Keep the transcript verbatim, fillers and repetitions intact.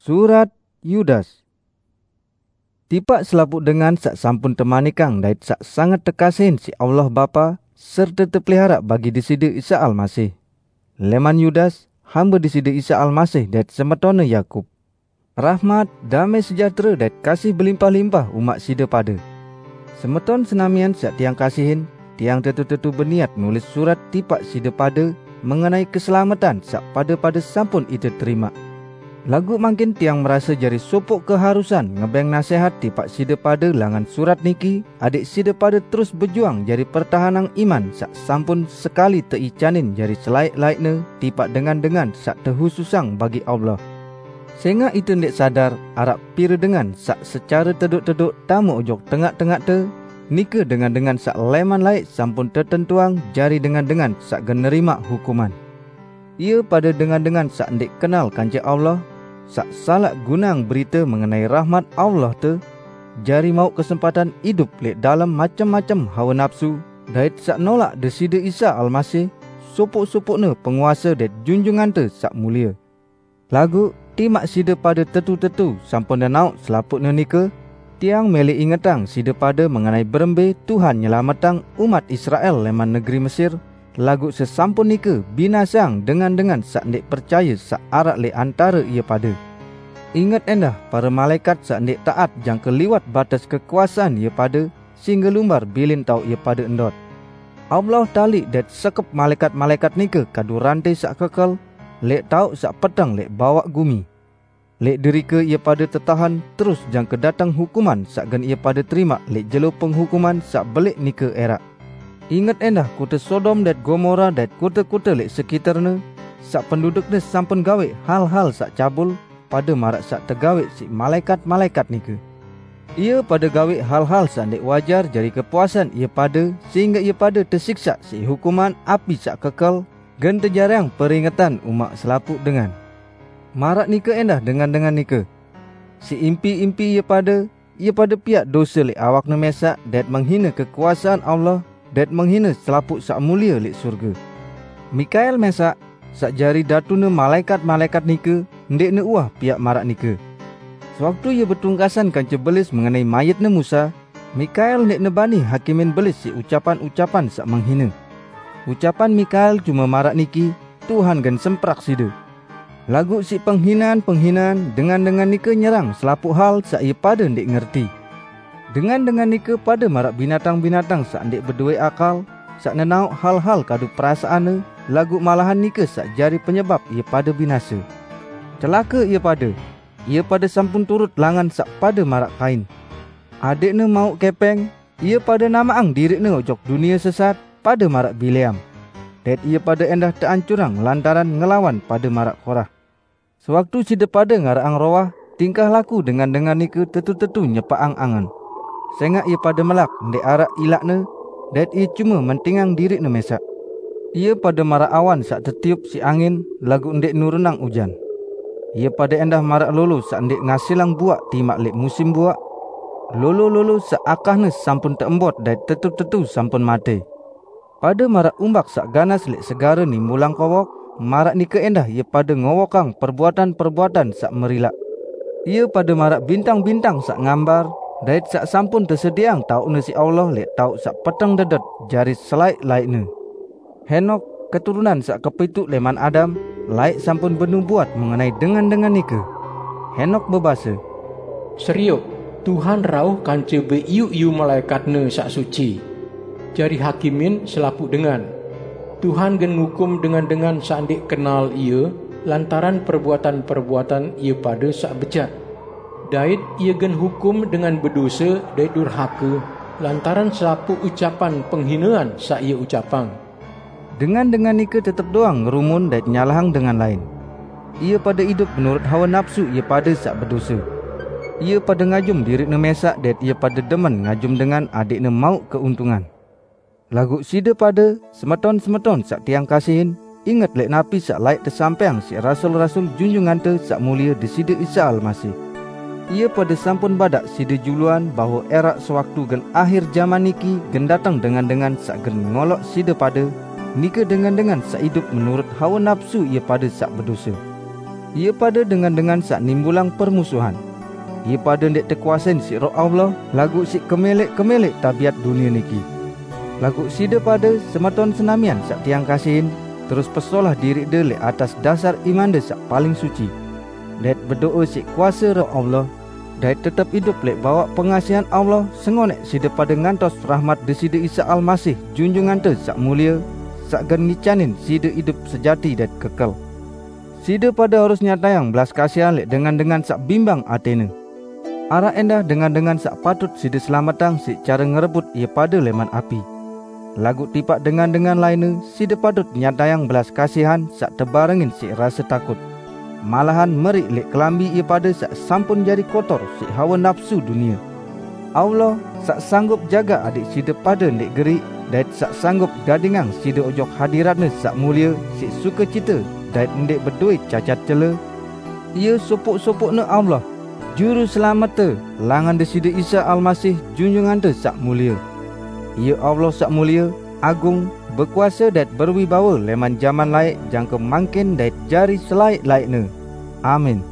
Surat Yudas. Tipak selapuq dengan saq sampun temanikang dait saq sanget tekasihin siq Allah Bapa, serte tepelihara bagi Deside Isa Almasih. Leman Yudas, hambe Deside Isa Almasih dait semetonne Yakub. Rahmat, damai sejahtere dait kasih belimpah-limpah umaq side pade. Semeton senamian saq tiang kasihin, tiang tetu-tetu beniat nulis surat tipaq side pade mengenai keselametan saq pade-pade sampun ite terimaq. Laguq mangkin tiang merase jari sopoq keharusan ngebeng nasehat tipaq side pade langan surat niki, adeq side pade terus bejuang jari pertahanang iman saq sampun sekali teicanin jari selaeq-laeqne tipaq dengan-dengan saq tehususang bagi Allah. Sengaq ite ndeq sadar araq pire dengan saq secare tedoq-tedoq tame ojok tengaq-tengaqte, nike dengan-dengan saq leman laeq sampun tetentuang jari dengan-dengan saq gen nerimaq hukuman. Ie pade dengan-dengan saq ndeq kenal kance Allah, saq salaq gunang berite mengenai rahmat Allah te, jari mauq kesempatan idup leq dalem macem-macem hawe napsu, dait saq nolaq Deside Isa Almasih, sopoq-sopoqne penguase dait junjungante saq mulie. Laguq, timaq side pade tetu-tetu sampun nenaoq selapuqne nike, tiang mele ingetang side pade mengenai berembe Tuhan nyelametang umat Israel leman negeri Mesir, laguq sesampun nike binaseang dengan-dengan saq ndeq percaye saq araq leq antare ie pade. Inget endah pare malaekat saq ndeq taat jangke liwat bates kekuasean ie pade, singge lumbar bilin taoq ie pade ndot. Allah taliq dait sekep malaekat-malaekat nike kadu rante saq kekel, leq taoq saq peteng leq bawaq gumi. Leq derike ie pade tetahen terus jangke dateng hukuman saq gen ie pade terimaq leq jelo penghukuman saq beleq nike eraq. Inget endah kote Sodom dait Gomora dait kote-kote leq sekiterne, saq pendudukne sampun gaweq hal-hal saq cabul, pade maraq saq tegaweq siq malaekat-malaekat nike. Ie pade gaweq hal-hal saq ndeq wajar jari kepuasan ie pade, sehingge ie pade tesiksaq siq hukuman api saq kekel, gen tejariang peringetan umaq selapuq dengan. Maraq nike endah dengan-dengan nike. Siq impi-impi ie pade, ie pade piaq dose leq awakne mesaq dait menghine kekuasean Allah, dait menghine selapuq saq mulie leq surge. Mikael mesaq, saq jari datune malaekat-malaekat nike, ndeqne uwah piaq maraq nike. Sewaktu ie betungkasan kance belis mengenai mayitne Musa, Mikael ndeqne bani hakimin belis siq ucapan-ucapan saq menghine. Ucapan Mikael cume maraq niki, "Tuhan gen semprak side." Laguq siq penghinean-penghinean, dengan-dengan nike nyerang selapuq hal saq ie pade ndeq ngerti. Dengan-dengan nike pade maraq binatang-binatang saq ndeq bedowe akal, saq nenaoq hal-hal kadu perasaanne, laguq malahan nike saq jari penyebap ie pade binase. Celake ie pade! Ie pade sampun turut langan saq pade maraq Kain. Adeqne mauq kepeng, ie pade namaqang diriqne ojok dunie sesat, pade maraq Bileam. Dait ie pade endah teancurang lantaran ngelawan pade maraq Korah. Sewaktu side pade ngaraqang rowah, tingkah laku dengan-dengan nike tetu-tetu nyepaqang angen. Sengaq ie pade melak ndeq araq ilaqne, dait ie cume mentingang diriqne mesaq. Ie pade maraq awan saq tetiup siq angin, laguq ndeq nurunang ujan. Ie pade endah maraq lolo saq ndeq ngasilang buaq timaq leq musim buaq, lolo-lolo saq akahne sampun teembot dait tetu-tetu sampun mate. Pade maraq umbak saq ganas leq segare nimbulang kowok, maraq nike endah ie pade ngowokang perbuatan-perbuatan saq merilaq. Ie pade maraq bintang-bintang saq ngambar, dait saq sampun tesediaang taoqne siq Allah leq taoq saq peteng dedet jari selaeq-laeqne. Henokh, keturunan saq kepituq leman Adam, laeq sampun benubuat mengenai dengan-dengan nike. Henokh bebase, "Serioq, Tuhan rauh kance beiyu-iyu malaekatne saq suci, jari hakimin selapuq dengan. Tuhan gen ngukum dengan-dengan saq ndeq kenal Ie lantaran perbuatan-perbuatan ie pade saq bejat. Dait Ie gen hukum dengan bedose dait durhake lantaran selapuq ucapan penghinean saq Ie ucapang." Dengan-dengan nike tetep doang ngerumun dait nyalahang dengan lain. Ie pade idup menurut hawe napsu ie pade saq bedose. Ie pade ngajum diriqne mesaq dait ie pade demen ngajum dengan adeqne mauq keuntungan. Laguq side pade, semeton-semeton saq tiang kasihin, inget leq napi saq laeq tesampaiang siq rasul-rasul Junjungante Saq Mulie Deside Isa Almasih. Ie pade sampun badaq side juluan bahwe eraq sewaktu gen ahir jaman niki gen dateng dengan-dengan saq gen ngoloq side pade, nike dengan-dengan saq idup menurut hawe napsu ie pade saq bedose. Ie pade dengan-dengan saq nimbulang permusuhan. Ie pade ndeq tekuasein siq Roh Allah, laguq siq kemeleq-kemeleq tabiat dunie niki. Laguq side pade, semeton senamian saq tiang kasihin, terus pesolah diriqde leq atas dasar imande saq paling suci, dait bedoe siq kuase Roh Allah, dait tetep idup leq bawaq pengasihan Allah, sengoneq side pade ngantos rahmat Deside Isa Almasih, Junjungante Saq Mulie, saq gen ngicanin side idup sejati dait kekel. Side pade harus nyatayang belas kasihan leq dengan-dengan saq bimbang atene. Araq endah dengan-dengan saq patut side selametang siq care ngerebut ie pade leman api. Laguq tipaq dengan-dengan lainne, side patut nyatayang belas kasihan saq tebarengin siq rase takut, malahan meriq leq kelambi ie pade saq sampun jari kotor siq hawe napsu dunie. Allah, saq sanggup jagaq adẽq side pade ndeq geriq, dait saq sanggup gadingang side ojok hadirat-Ne saq mulie siq sukecite dait ndeq bedoe cacat cele, Ie sopoq-sopoqne Allah, Juru Selamette, langan Deside Isa Almasih, Junjungante Saq Mulie. Ie Allah saq mulie, agung, bekuase dait berwibawe leman jaman laeq jangke mangkin dait jari selaeq-laeqne. Amin.